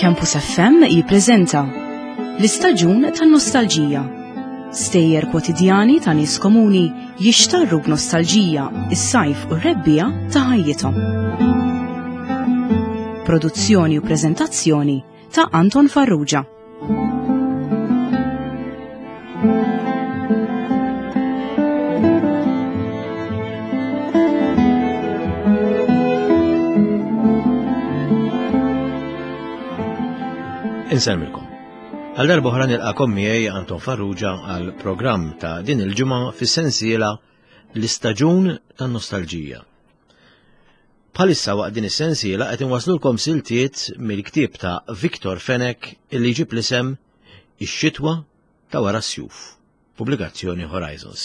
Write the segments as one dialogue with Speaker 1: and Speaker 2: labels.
Speaker 1: Campus FM jippreżenta l-istaġun tan-nostalġija. Stejjer kwotidjani ta' nies komuni jixtarru b'nostalġija is-sajf u r-rebbiegħa ta' ħajjithom. Produzzjoni u preżentazzjoni ta' Anton Farrugia.
Speaker 2: Insellmilkom. Għal darba oħra nilqakom miegħi Anton Farrugia għal programm ta' din il-ġimgħa fis-sensiela l-istaġun tan-nostalġija. Bħalissa waqt din is-sensiela qed inwaslulkom siltiet mill-ktieb ta' Victor Fenech illi jġib l-isem Ix-xitwa ta' wara s-sjuf, pubblikazzjoni Horizons.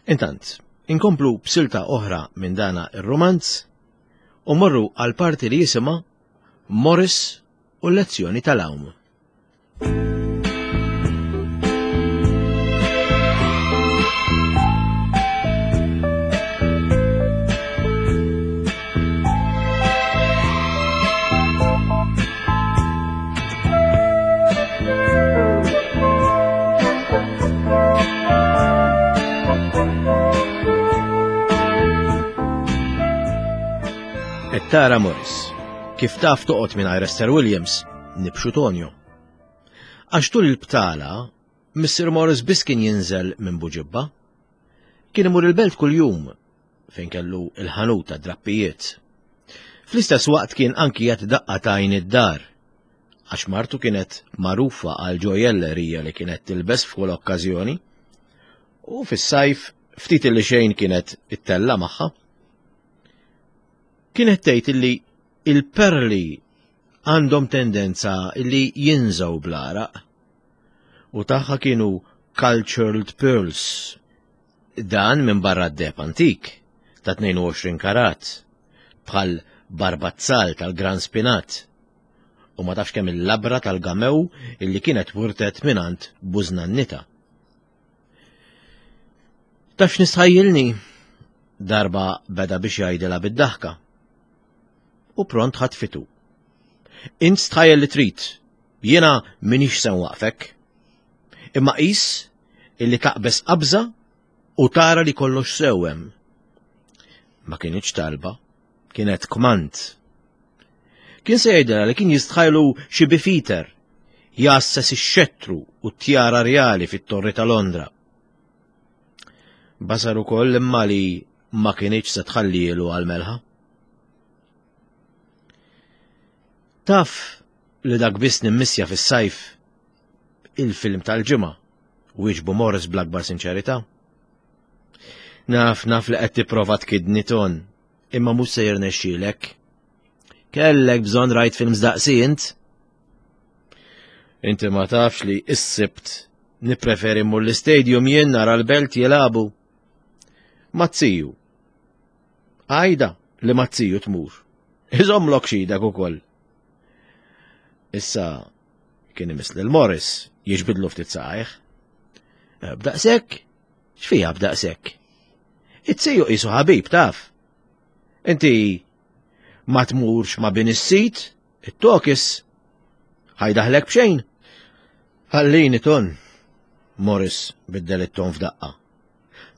Speaker 2: Intant, inkomplu b'silta oħra minn dana ir-romanz u morru għal parti li jisimha Morris u l-lezzjoni tal-għawm. Tara Morris, kif taf toqgħod mingħajr Esther Williams, nibxu Tonio. Għax tul il-btala, Mr. Morris biss kien jinżel minn Buġibba. Kien imur il-belt kuljum fejn kellu il-ħanut ta' drappijiet. Fl-istess waqt kien anki jagħti daqqa tajn id-dar, għax martu kienet magħrufa għal ġojellerija li kienet tilbes f'kull okkażjoni, u fis-sajf ftit li xejn kienet ittella magħha. Kienet tgħid illi il-perli għandhom tendenza li jinżgħu bl-għaraq u tagħha kienu cultured pearls. Dan minn barra d-deheb antik ta' 22 karat bħal barbazzal tal-Gran Spinat u ma tafx kemm il-labra tal-gamew illi kienet wirtet mingħand bużnannita. Taf x'nistħajjilni? Darba beda biex jgħidilha bid-daħka. U pront ħatfitu. Int stħajjel li trid, jiena minix se nwaqfek. Imma qis illi taqbeż qabża u tara li kollox sewem. Ma kienx talba, kienet kmand. Kien se jgħidilha li kien jistħajlu xi bifiter jgħasses ix-xettru u t-tjara rjali fit-Torri ta' Londra. Basar ukoll imma li ma kinitx se tħallielu għal-melħa. Taf li dak biss nimmissja fis-sajf il-film tal-ġimgħa, wieġbu Morris bl-akbar sinċerità. Naf naf li qed tipprova tkidni ton, imma mhux se jirnexxielek. Kellek bżonn rajt films daqsi int? Inti ma tafx li s-sibt nippreferi mmur l-istadium jien nara l-belt jilagħbu. Mazziju. Għajda li mazziju tmur. Iżomlok xidek ukoll. Issa kien imiss lil Morris jiġbidlu ftit saqajh. Eh, b'daqshekk? X'fiha b'daqshekk? It-siju qisu ħabib taf. Inti ma tmurx ma' bin is-sit, it-tokis, ħajdaħlek b'xejn. Ħallini ton. Morris biddel it-ton f'daqqa.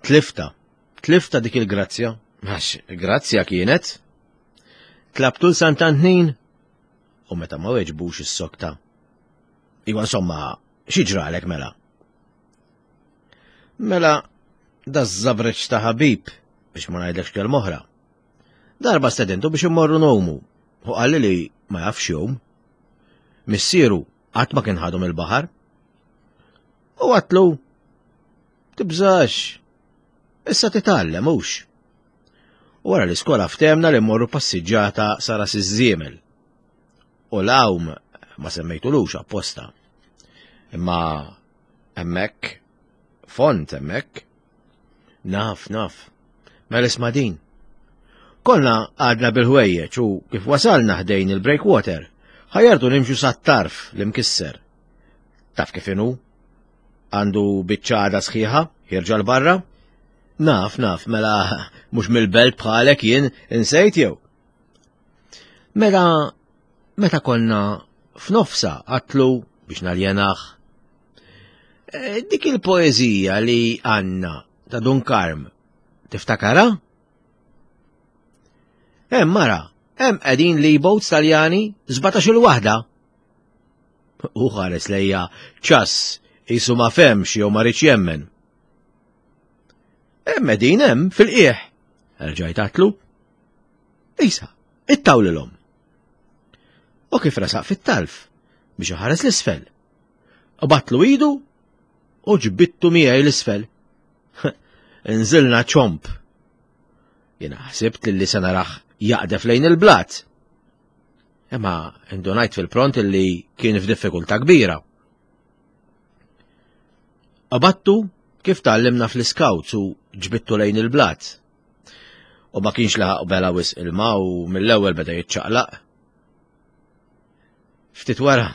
Speaker 2: Tlifta, tlifta dik il-grazzja. Għax, grazzja kienet. Tlabtu l-Sant'Antnin u meta ma weġbux is-sokta. Iwa insomma, xi ġralek mela? Mela, da żabreċ ta' ħabib biex ma ngħidlekx kelma oħra. Darba stedintu biex immorru nomu u qalli li ma jafx jom. Missieru qatt ma kien ħadhom il-baħar. U għatlu, tibżax, issa titgħallem hux. U wara l-iskola ftemna li mmorru passiġġata sara siż-żiemel. U l-għawm ma semmejtulux apposta. Imma hemmhekk font hemmhekk. Naf, naf. Mela isma' din. Konna għadna bil-ħwejjeġ u kif wasalna ħdejn il-breakwater, ħajartu nimxu sat-tarf li mkisser. Taf kif inhu? Għandu biċċa għada sħiħa, ħirġa l-barra? Naf, naf, mela mhux mill-belt bħalek jien insejt jew. Mela meta konna F'nofsa għatlu biex naljenaħ. Eh, dik il-poezija li għanna ta' Dun Karm, tiftakara? Hemm mara, hemm qegħdin li boats Taljani 17 il-waħda. U ħares lejja ċass jisu ma femx jew ma rridx jemmen. Hemm qegħdin hemm fil-qiegħ. Erġajt għatlu. Isa, ittawlilhom. U kif resaq fit-talf biex iħares l-isfel. U batlu idu u ġbittu miegħi l-isfel. Nżilna ċomp. Jiena ħsibt li se naraħ jaqdef lejn il-blat. Imma indunajt fil-pront li kien f'diffikultà kbira. Qabattu kif tgħallimna fl-iskawts u ġbittu lejn il-blat. U ma kienx laħaq bela wisq ilma u mill-ewwel beda jiċċaqlaq. Ftit wara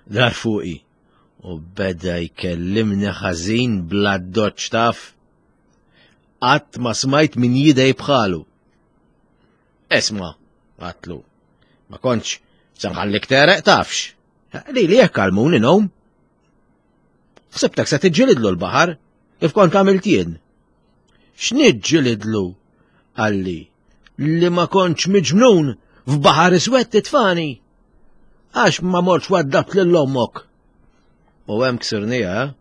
Speaker 2: dar fuqi u beda jkellimni ħażin bla doċ taf. Qatt ma smajt min jidej bħalu. Esma, għatlu, ma kontx se nħallik tereq tafx. Li li jekk għalmuni nom. Ħsibtek se tiġġilidlu l-baħar, kif kont għamilt jien. X'niġġilidlu? Qalli, li ma kontx miġnun f'baħar iswed titfani. Għax ma mortx waddabt lil ommok. U hemm ksirnija, eh?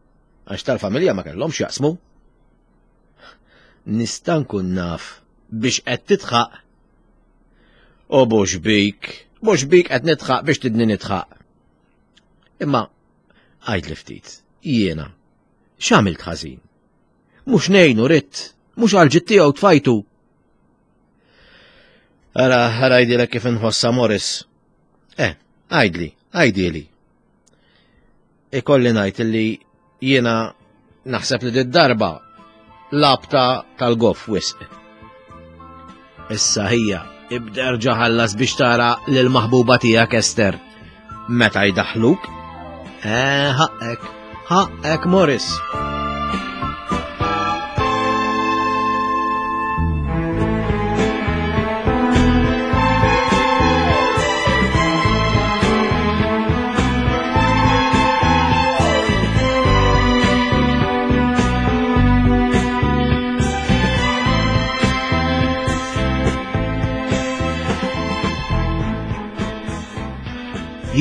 Speaker 2: għax tal-familja ma kellhomx jaqsmu. Nista' nkun naf biex qed titħaq. U mhux bik, mhux bik qed nitħaq biex tidni nitħaq. Imma għajd li ftit, jiena, x'għamilt ħażin? Mhux ngħinu ridt, mhux għal ġid tiegħu tfajtu. Ara, ara għidilek kif inħossa Morris. Eh, għidli, għidili. Ikolli ngħid li jiena naħseb li d-darba labta tal-goff wisq. Issa hija, ibda erġa' ħallas biex tara lil maħbuba tiegħek Ester. Meta jdaħħluk? Eh, ħaqqek, ħaqqek Morris.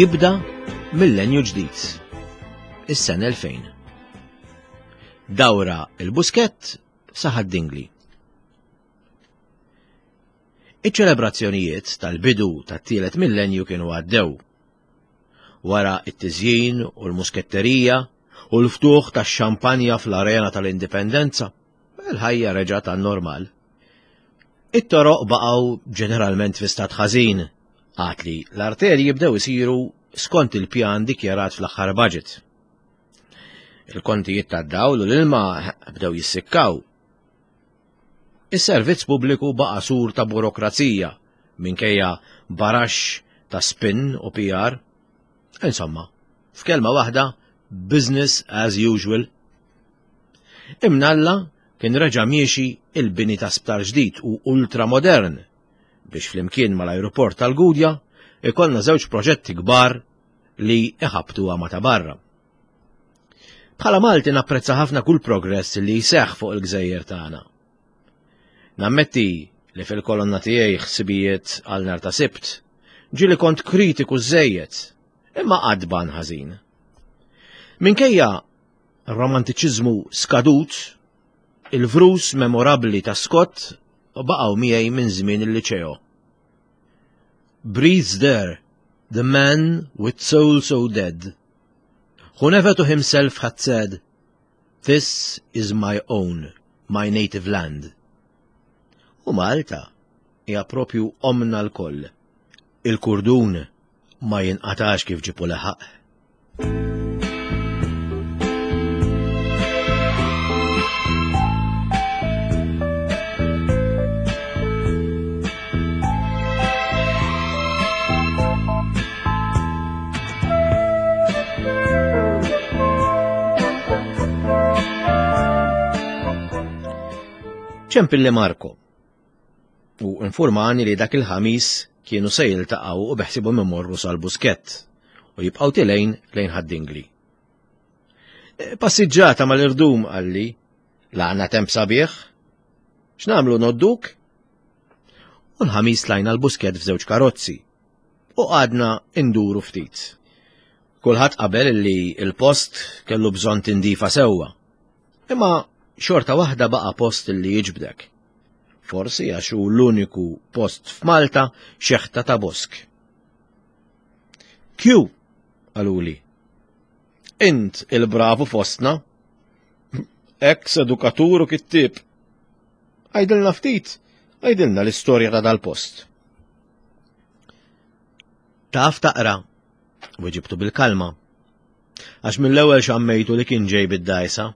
Speaker 2: Jibda millenju ġdid, is-sena 2000. Dawra il-Buskett saħad Dingli. Iċ-ċelebrazzjonijiet tal-bidu tat-tielet millenju kienu għaddew. Wara it-tiżjin u l-musketterija u l-ftuħ tax-xampanja fl-Arena tal-Indipendenza, il-ħajja reġgħet għan-normal. It-toroq baqgħu ġeneralment fi stat ħażin, għad li l-arterji bdew isiru skont il-pjan dikjarat fl-aħħar budget. Il-kontijiet tad-dawl u l-ilma bdew jissikkaw. Is-servizz pubbliku baqa' sur ta' burokrazija minkejja baraxx ta' spin u PR. Insomma, f'kelma waħda, business as usual. Imnalla kien reġa' miexi il-bini ta' sptar ġdid u ultramodern biex flimkien mal-ajruport tal-Gudja ikollna żewġ proġetti kbar li iħabbtuha ma' ta' barra. Bħala Malti napprezza ħafna kull progress li jseħħ fuq il-gżejjer tagħna. Nammetti li fil-kolonna tiegħi ħsibijiet għal nhar ta' Sibt ġieli kont kritiku żejjed, imma qatt ban ħażin. Minkejja romantiċiżmu skadut, il-vrus memorabbli ta' Scott baqgħu miegħi minn żmien il-liċeo. Breathes there, the man with soul so dead, who never to himself had said, This is my own, my native land. U Malta hija propju omna l-koll. Il-kurdun ma jinqatax kif ġipu leħaq. Ċempilli Marco u informani li dak il-ħamis kienu se jiltaqgħu u beħsibhom imorru sal-Buskett. u jibqgħu tilejn lejn Ħad-Dingli. E, passiġġata mal-irdum qalli, laqna temp sabiħ. X'nagħmlu nodduk? U l-ħamis tlajna l-busket f'żewġ karozzi u qgħadna induru ftit. Kulħadd qabel li l-post kellu bżonn tindifa sewwa. Imma xorta waħda baqa' post li jiġbdek. Forsi għax hu l-uniku post f'Malta xeħta ta' bosk. Q, qaluli. Int il-bravu fostna. Ex edukatur u kittib. Għajdilna ftit, għajdilna l-istorja ta' dal-post. Taf taqra, weġibtu bil-kalma. Għax mill-ewwel xammejtu li kien ġej bid-dajsa.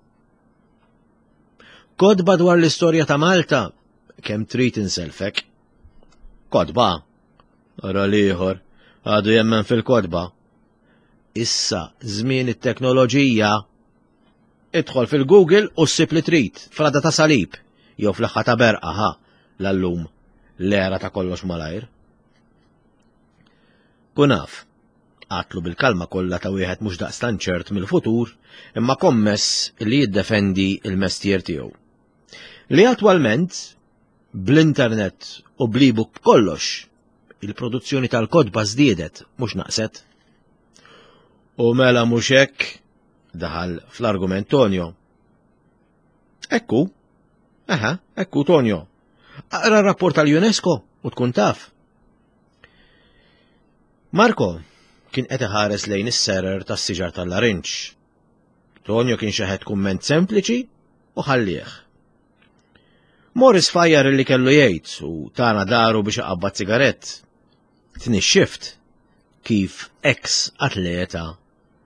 Speaker 2: Kodba dwar l-istorja ta' Malta, kemm trid inselfek. Kodba, Ara l-ieħor, għadu jemmen fil-kotba. Issa, żmien it-teknoloġija. Idħol fil-Google u ssib li trid, frada ta' salib, jew fl-aħħa ta' berqa, ha, l-allum, l-era ta' kollox malajr. Kun af, għatlu bil-kalma kollha ta' wieħed mhux daqstant ċert mill-futur, imma kommess li jiddefendi il-mestier tiegħu. Li attwalment Bl-internet u bl-ebook b'kollox, il-produzzjoni tal-kotba żdiedet, mhux naqset. U mela mhux hekk, daħal fl-argument Tonio. Ekku, aha, ekku Tonio. Aqra r-rapport tal-UNESCO u tkun taf. Marco kien qed iħares lejn is-serer tas-siġar tal-larinġ. Tonio kien xeħet kumment sempliċi u ħallih. Morris fajjar li kellu jgħid u tana daru biex iqabbad sigarett. Tnixxift kif ex atleta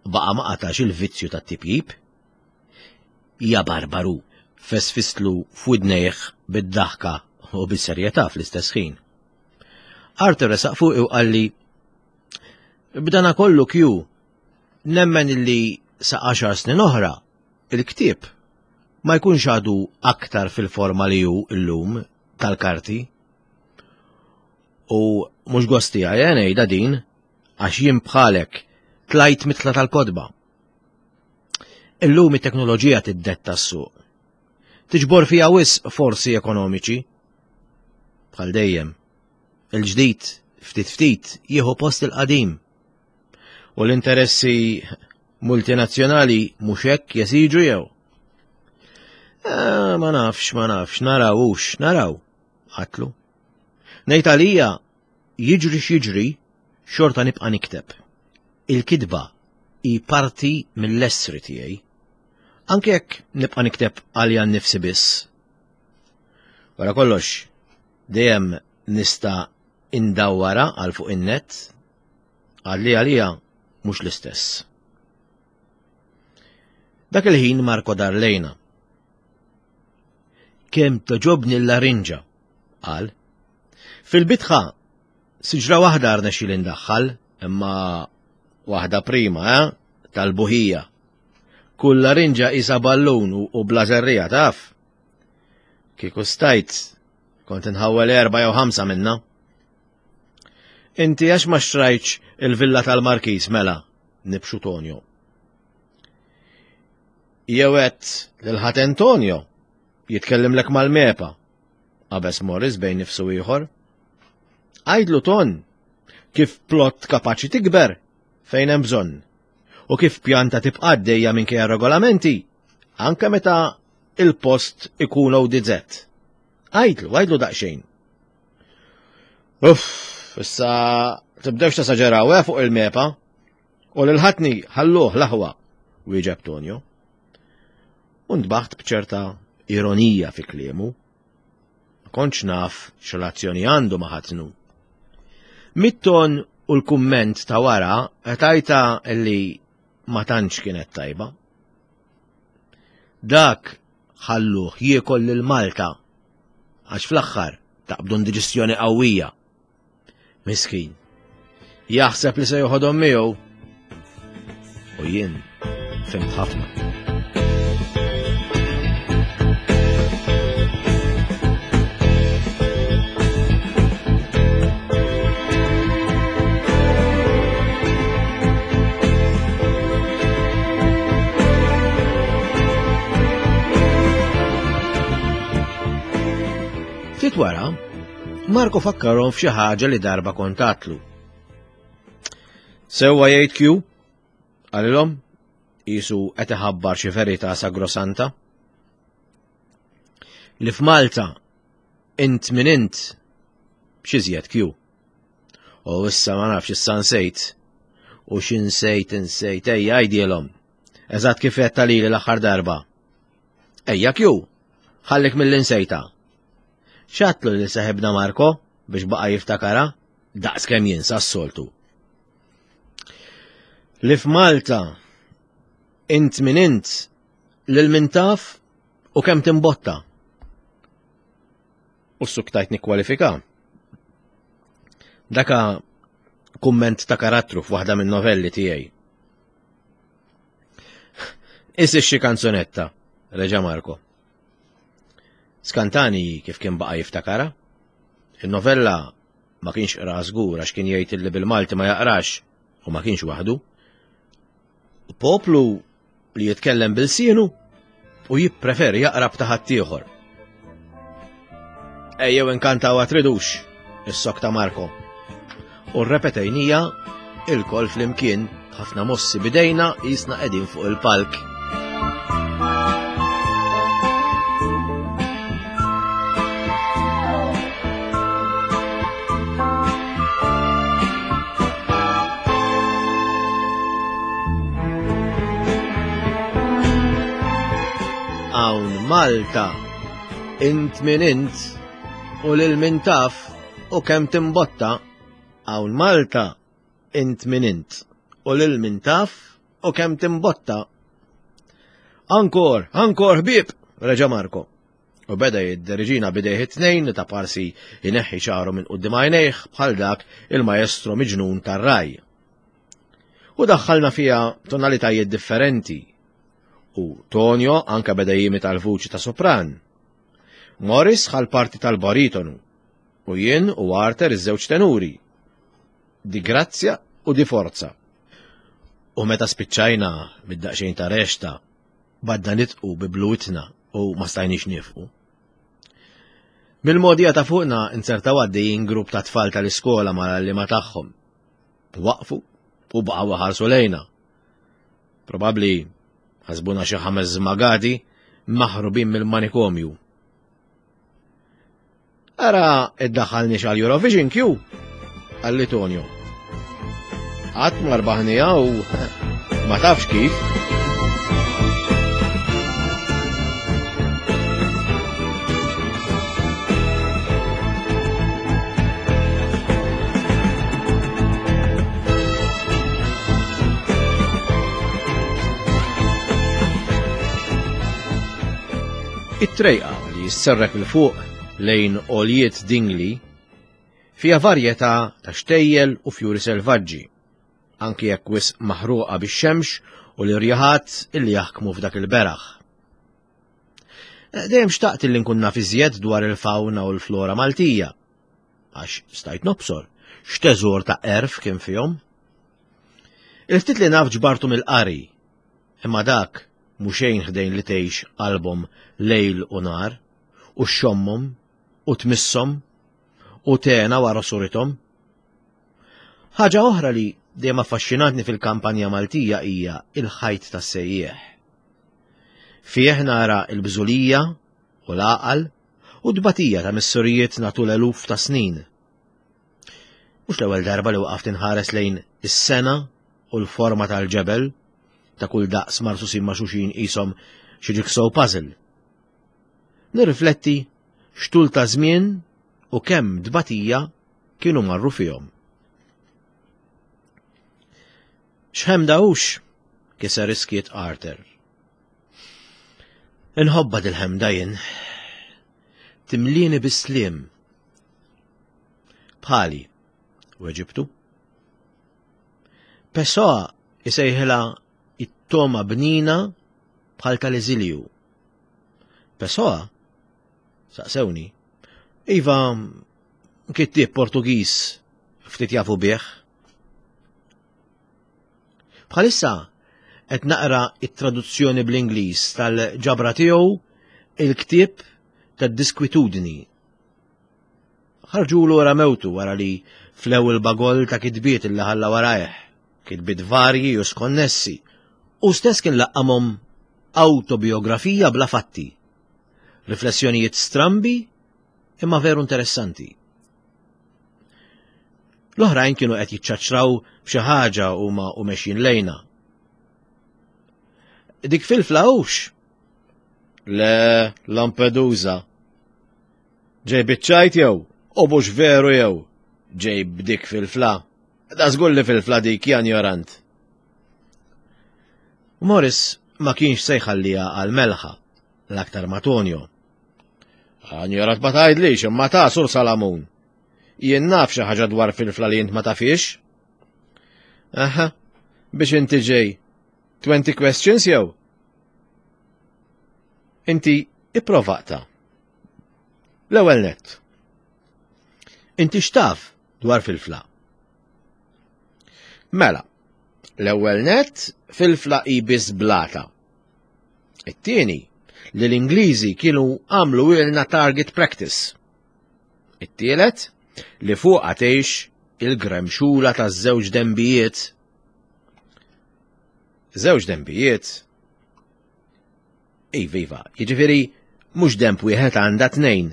Speaker 2: baqa' ma qatax il-vizzju tat-tipjip. Ja barbaru, fesfistlu f'widnejh bid-daħka u bis-serjetà fl-istess ħin. Arthur resaq fuqi u qalli B'dana kollu kju, nemmen illi sa għaxar snin oħra il-ktieb ma jkunx għadu aktar fil-forma li hu illum tal-karti. U mhux gost tiegħi eh, ngħidha din għax jien bħalek tlajt mitla tal-kotba. Illum it-teknoloġija tiddetta s-suq. Tiġbor fiha wisq forsi ekonomiċi. Bħal dejjem, il-ġdid ftit ftit jieħu post il-qadim. U l-interessi multinazzjonali mhux hekk jesiġu jew? Eh, ma nafx, ma nafx, naraw hux, naraw, għatlu. Ngħid għalija jiġri x'jiġri, xorta nibqa' nikteb. Il-kitba hi parti mill-essri tiegħi. Anke jekk nibqa' nikteb għalija nnifsi biss. Wara kollox, dejjem nista' indawwara għal fuq in-net, għalli għalija mhux l-istess. Dak il-ħin Marko dar lejna. Kemm toġobni l-larinġa, qal. Fil-bitħa, siġra waħda rnexxi li ndaħħal, imma waħda prima, eh? Tal-buħija. Kull larinġa isa ballun u bla żerrija, taf? Kieku stajt, kont inħawwel erba' jew ħamsa minna. Inti għax ma xtrajtx il-villa tal-Markiż mela, nibxu Tonio. Jew għedt lil ħadd Antonio jitkellimlek mal-mepa, qabeż Morris bejn nifsu ieħor. Għidlu Ton kif plott kapaċi tikber fejn hemm bżonn u kif pjanta tibqa' għaddejja minkejja regolamenti anke meta il-post ikun ODZ. Għidlu, għidlu daqsxejn. Uff, issa tibdewx tasaġeraw eh, fuq il-mepa. U lil ħatni ħalluh l-aħwa, wieġeb Tonio. U ntbaħt b'ċerta ironija fi kliemu. Ma kontx naf x'relazzjoni għandu ma' ħatnu. Mit-ton u l-kumment ta' wara tajta li ma tantx kienet tajba. Dak ħalluh jiekol lil Malta għax fl-aħħar taqbdu indiġestjoni qawwija. Miskin. Jaħseb li se joħodhom miegħu. U jien fimt ħafna. Ftit wara, Marko fakkarhom f'xi ħaġa li darba kontatlu. Sewwa jgħid Q, qalilhom, qisu qed iħabbar xi verità sagrosanta. Li f'Malta int min int x'iżjed Q. U issa ma nafx issa nsejt. U x'insejt insejt ejja għidilhom. Eżatt kif qed talili l-aħħar darba. Ejja Q, ħallik mill-insejta. X'għadtlu lil seħibna Marko biex baqa' jiftakarha daqs kemm jinsa s-soltu. Li f'Malta int min int lil min taf u kemm timbotta. U suktajt nikkwalifika. Daka kumment ta' karattru f'waħda minn novelli tiegħi. Issi xi kanzunetta, reġa' Marko. Skantani kif kien baqa' jiftakara. Il-novella ma kienx qra żgur għax kien jgħid li bil-Malti ma jaqrax u ma kienx waħdu. Poplu li jitkellem bil-sienu u jippreferi jaqra b'ta' ħaddieħor. Ejjew inkantaw tridux, is-sok ta' Marko. U rrepetejnija il-kol flimkien ħafna mossi bidejna jisna qegħdin fuq il-palk. Hawn Malta, int min int u lil min taf u kemm timbotta. Hawn Malta, int min int u lil min taf u kemm timbotta. Ankor, ankor ħbieb, reġa' Marko. U beda jidderiġina bidejh it-tnejn li ta' parsi jneħħi xagħru minn quddiem għajnejh bħal dak il-maestro miġnun tar-raj. U daħħalna fiha tonalitajiet differenti. U Tonio anka beda jimita l-vuċi ta' sopran. Morris ħal parti tal-baritonu u jien u Arthur iż-żewġ tenuri. Di grazzja u di forza. U meta spiċċajna mid-daqsxejn ta' rexta, badna nitqu bi blutna u ma stajniex nifqu. Mill-modija ta' fuqna inzertaw għaddejjin grupp ta' tfal tal-iskola mal-għalliema tagħhom. Waqfu u baqgħu ħarsu lejna. Probabbli ħasbuna xi ħames żmagati maħrubin mill-manikomju. Ara iddaħħalniex għal Eurovision Q, għalli Tonio. Qatt ma rbaħnija u ma tafx kif. It-trejqa li jisserrek 'il fuq lejn għoljiet Dingli fiha varjetà ta' xtejjel u fjuri selvaġġi, anki jekk wisq maħruqa bix-xemx u l-irjaħat illi jaħkmu f'dak il-beraħ. Dejjem xtaqt illi nkun naf iżjed dwar il-fawna u l-flora Maltija, għax stajt nobsor x'teżor ta' għerf kien fihom. Il-ftit li naf ġbartu mill-qari, imma dak mhu xejn ħdejn li tgħix qalbhom lejl u nhar, u xxommhom, u tmisshom, u tena wara surithom. Ħaġa oħra li dejjem affaxxinatni fil-kampanja Maltija hija il-ħajt tas-sejjieħ. Fih nara l-bżulija u l-għaqal u t-tbatija ta' missurijietna tul eluf ta' snin. Mhux l-ewwel darba li waqaft inħares lejn is-sena u l-forma tal-ġebel ta' kull daqs marsusin ma' xuxin qishom xi jigsaw puzzle. Nirrifletti x'tul ta' żmien u kemm tbatija kienu marru fihom. X'ħemda hux, kiser iskiet Arthur. Inħobba dil-ħemda jien. Timlieni bis-sliem. Bħali, weġibtu. Pessoa isejħilha it-toma bnina bħal tal-eżilju. Pessoa? Saqsewni. Iva, kittieb Portugiż ftit jafu bih. Bħalissa qed naqra it-traduzzjoni bl-Ingliż tal-ġabra tiegħu il-ktieb tad-diskwitudni. ħarġulu wara mewtu wara li flew il-bagoll ta' kitbiet li ħalla warajh, kitbiet varji u skonnessi. U stess kien laqqamhom awtobiografija bla fatti. Riflessjonijiet strambi imma veru interessanti. L-oħrajn kienu qed jiċċaċċraw b'xi ħaġa huma u mexjin lejna. Dik fil-fla hux? Le, Lampedusa. Ġej biċ-ċajt jew? U mhux veru jew? Ġej b'dik fil-fla. Da żgur li fil-fla dik janjorant. Morris ma kienx se jħalliha għal melħa, l-aktar ma Tonio. Anjorat ma tgħidlix imma ta' Sur Salamun. Jien naf xi ħaġa dwar fil-fla li int ma tafix. Aha, biex inti ġej. 20 questions jew? Inti ipprovaqta. L-ewwel nett. Inti x'taf dwar filfla? Mela, l-ewwel nett filfla hi biss blata. It-tieni, li l-Ingliżi kienu għamlu ilna target practice. It-tielet, li fuqha tgħix il-gremxula taż-żewġ dembijiet. Żewġ dembijiet Iva, iva, jiġifieri mhux demp wieħed għandha tnejn.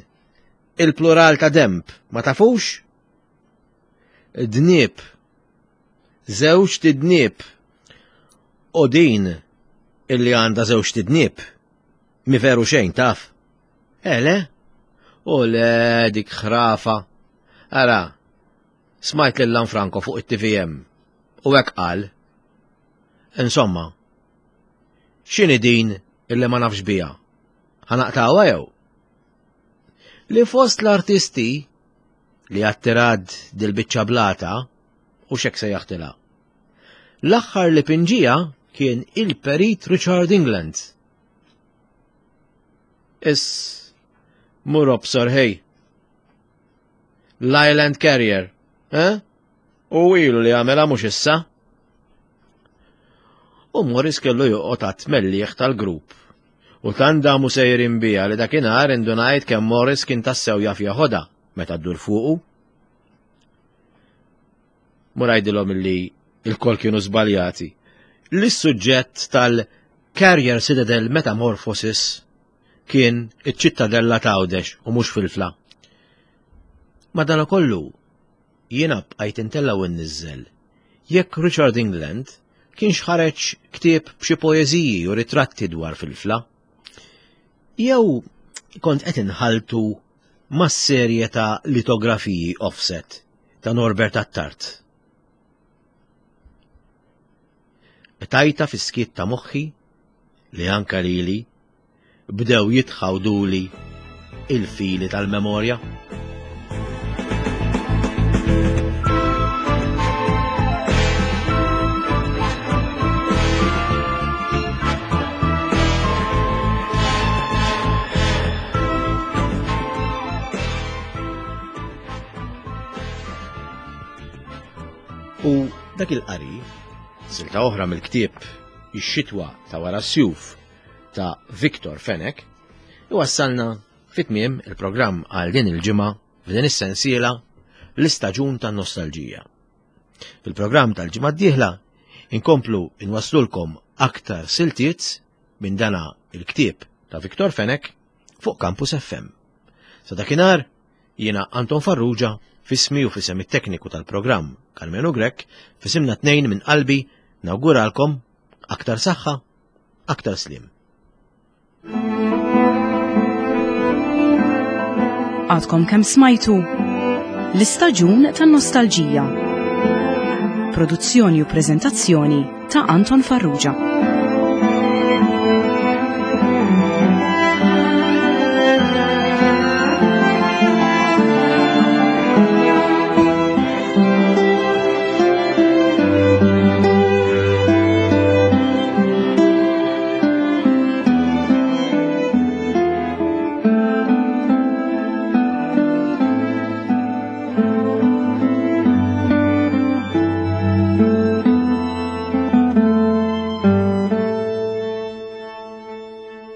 Speaker 2: Il-plural ta' demp, ma tafux? Dnieb. Żewġ tidnieb. U din illi għandha żewġ tidnieb. Mi veru xejn taf. Ele? U le dik ħrafa. Ara, smajt lil Lanfranco fuq it-TVM u hekk qal. Insomma, X'inhi din illi ma nafx biha? Ħa naqtgħuha jew? Li fost l-artisti li attirad dil-biċċa blata u xek sejjaħtilha. L-aħħar li pinġija kien il-perit Richard England. Is mur obsor ħej. L-Island Carrier, eh? U ilu li għamela mhux issa. U Morris kellu joqgħod għat-tmelliħ tal-grupp. U tant damu sejrin biha li dakinhar indunajt kemm Morris kien tassew jaf jeħodha meta ddur fuqu. Mur għidilhom illi il-kol kienu żbaljati. Li s-suġġett tal-Carrier Citadel Metamorphosis kien iċ-ċittadella t'Għawdex u mhux Filfla. Madanakollu, Jiena bqajt intella' u nniżżel jekk Richard England kienx ħareġ ktieb b'xi poeżiji u ritratti dwar Filfla. Jew kont qed inħalltu mas-serje ta' litografiji offset ta' Norbert Attard. Qtajtha fis-skiet ta' moħħi li anka lili bdew jitħawduli il-fili tal-memorja. U dak il-qari, silta oħra mill-ktieb Ix-xitwa ta' wara s-sjuf ta' Victor Fenech iwassalna fi tmiem il-programm għal din il-ġimgħa f'din is-sensiela l-istaġun tan-nostalġija. Fil-programm tal-ġimgħa d-dieħla inkomplu inwaslulkom aktar siltiet minn dana il-ktieb ta' Victor Fenech fuq Campus FM. Sa dakinhar jiena Anton Farrugia fismi u fisem it-tekniku tal-programm Carmenu Grech fisimna tnejn minn qalbi nawguralkom aktar saħħa Aktar sliem.
Speaker 1: Għadkom kemm smajtu l-istaġun tan-nostalġija. Produzzjoni u preżentazzjoni ta' Anton Farrugia.